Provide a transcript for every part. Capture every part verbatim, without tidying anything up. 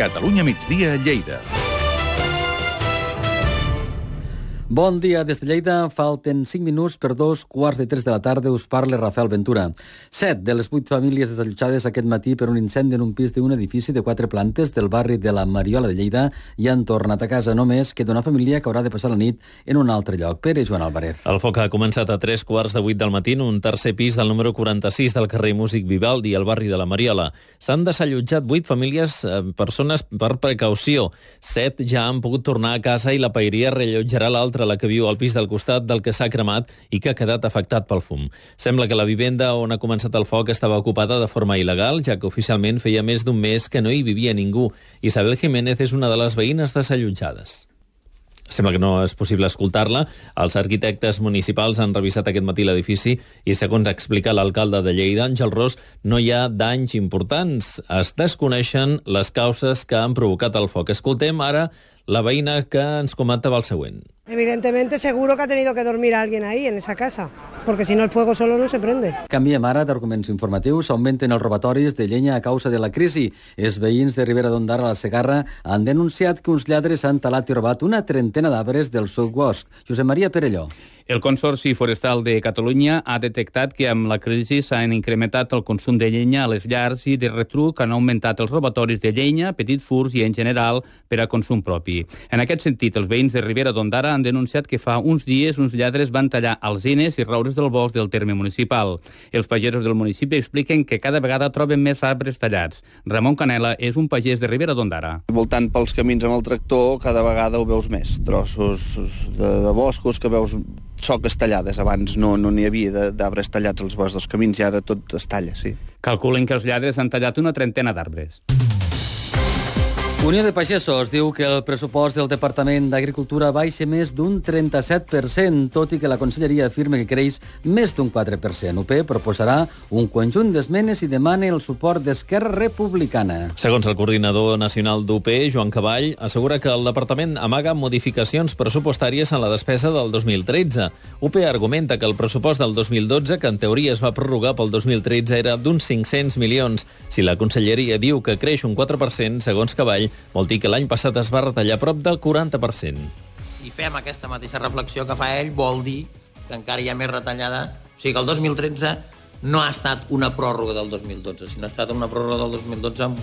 Catalunya migdia a Lleida. Bon dia des de Lleida. Falten cinc minuts per dos quarts de tres de la tarda. Us parla Rafael Ventura. Set de les vuit famílies desallotjades aquest matí per un incendi en un pis d'un edifici de quatre plantes del barri de la Mariola de Lleida i han tornat a casa. Només queda una família que haurà de passar la nit en un altre lloc. Pere Joan Álvarez. El foc ha començat a tres quarts de vuit del matí en un tercer pis del número quaranta-sis del carrer Músic Vivaldi, al barri de la Mariola. S'han desallotjat vuit famílies, eh, persones per precaució. Set ja han pogut tornar a casa i la paeria rellotjarà l'altra, la que viu al pis del costat del que s'ha cremat i que ha quedat afectat pel fum. Sembla que la vivenda on ha començat el foc estava ocupada de forma il·legal, ja que oficialment feia més d'un mes que no hi vivia ningú. Isabel Jiménez és una de les veïnes desallotjades. Sembla que no és possible escoltar-la. Els arquitectes municipals han revisat aquest matí l'edifici i, segons explica l'alcalde de Lleida, Àngel Ros, no hi ha danys importants. Es desconeixen les causes que han provocat el foc. Escoltem ara la veïna que ens comentava el següent. Evidentemente, seguro que ha tenido que dormir alguien ahí, en esa casa, porque si no el fuego solo no se prende. Canviem ara d'arguments informatius. Augmenten els robatoris de llenya a causa de la crisi. Els veïns de Ribera d'Ondara a la Segarra han denunciat que uns lladres han talat i robat una trentena d'arbres del seu bosc. Josep Maria Perelló. El Consorci Forestal de Catalunya ha detectat que amb la crisi s'han incrementat el consum de llenya a les llars i de retruc han augmentat els robatoris de llenya, petits furts i, en general, per a consum propi. En aquest sentit, els veïns de Ribera d'Ondara han denunciat que fa uns dies uns lladres van tallar alzines i roures del bosc del terme municipal. Els pagesos del municipi expliquen que cada vegada troben més arbres tallats. Ramon Canela és un pagès de Ribera d'Ondara. Voltant pels camins amb el tractor, cada vegada ho veus més. Trossos de, de boscos que veus soques tallades. Abans no no n'hi havia d'arbres tallats als boscs dels camins i ara tot es talla, sí. Calculen que els lladres han tallat una trentena d'arbres. Unió de Pagesos diu que el pressupost del Departament d'Agricultura baixa més d'un trenta-set per cent, tot i que la Conselleria afirma que creix més d'un quatre per cent. U P proposarà un conjunt d'esmenes i demana el suport d'Esquerra Republicana. Segons el coordinador nacional d'U P, Joan Caball, assegura que el departament amaga modificacions pressupostàries en la despesa del dos mil tretze. U P argumenta que el pressupost del dos mil dotze, que en teoria es va prorrogar pel dos mil tretze, era d'uns cinc-cents milions. Si la Conselleria diu que creix un quatre per cent, segons Caball, vol dir que l'any passat es va retallar prop del quaranta per cent. Si fem aquesta mateixa reflexió que fa ell, vol dir que encara hi ha més retallada. O sigui que el dos mil tretze no ha estat una pròrroga del dos mil dotze, sinó ha estat una pròrroga del dos mil dotze amb,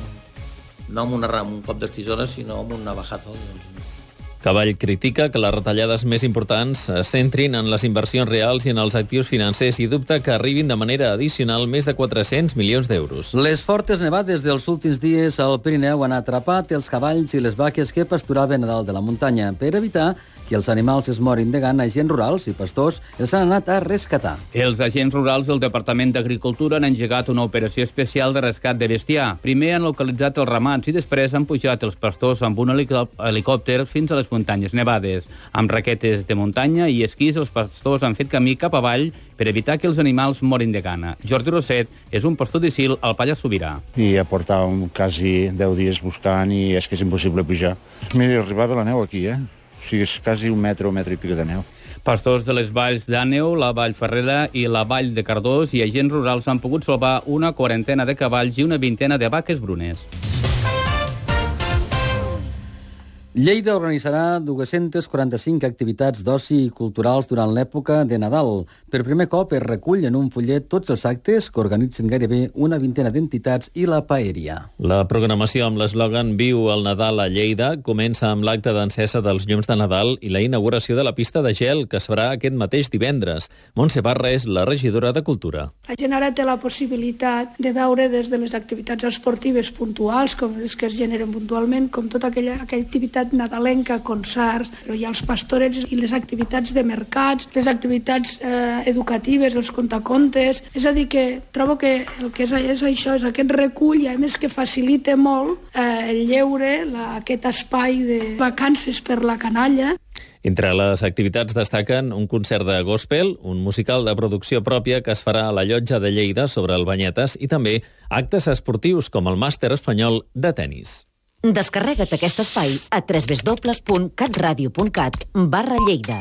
no amb, una, amb un cop d'estisora, sinó amb una bajada. Doncs. Caball critica que les retallades més importants es centrin en les inversions reals i en els actius financers i dubta que arribin de manera addicional més de quatre-cents milions d'euros. Les fortes nevades dels últims dies al Pirineu han atrapat els cavalls i les vaques que pasturaven a dalt de la muntanya. Per evitar que els animals es morin de gana, agents rurals i pastors els han anat a rescatar. Els agents rurals del Departament d'Agricultura han engegat una operació especial de rescat de bestiar. Primer han localitzat els ramats i després han pujat els pastors amb un helicòpter fins a les muntanyes nevades. Amb raquetes de muntanya i esquís, els pastors han fet camí cap avall per evitar que els animals morin de gana. Jordi Roset és un pastor d'Isil al Pallars Sobirà. I ja portàvem quasi deu dies buscant i és que és impossible pujar. Mira, arribava la neu aquí, eh? O sigui, és quasi un metre o un metre i pico de neu. Pastors de les valls d'Àneu, la Vall Ferrera i la Vall de Cardós i agents rurals han pogut salvar una quarantena de cavalls i una vintena de vaques brunes. Lleida organitzarà dues-centes quaranta-cinc activitats d'oci i culturals durant l'època de Nadal. Per primer cop es recull en un fullet tots els actes que organitzen gairebé una vintena d'entitats i la paeria. La programació amb l'eslògan Viu el Nadal a Lleida comença amb l'acte d'encesa dels llums de Nadal i la inauguració de la pista de gel que es farà aquest mateix divendres. Montse Barra és la regidora de Cultura. La gent ara té la possibilitat de veure des de les activitats esportives puntuals, com les que es generen puntualment, com tota aquella, aquella activitat nadalenca, concerts, però hi ha els pastorets i les activitats de mercats, les activitats eh, educatives, els contacontes. És a dir, que trobo que el que és, és això, és aquest recull, i a més que facilita molt eh, el lleure, la, aquest espai de vacances per la canalla. Entre les activitats destaquen un concert de gospel, un musical de producció pròpia que es farà a la llotja de Lleida sobre el Banyetes i també actes esportius com el màster espanyol de tennis. Descarrega't aquest espai a w w w punt catradio punt cat barra Lleida.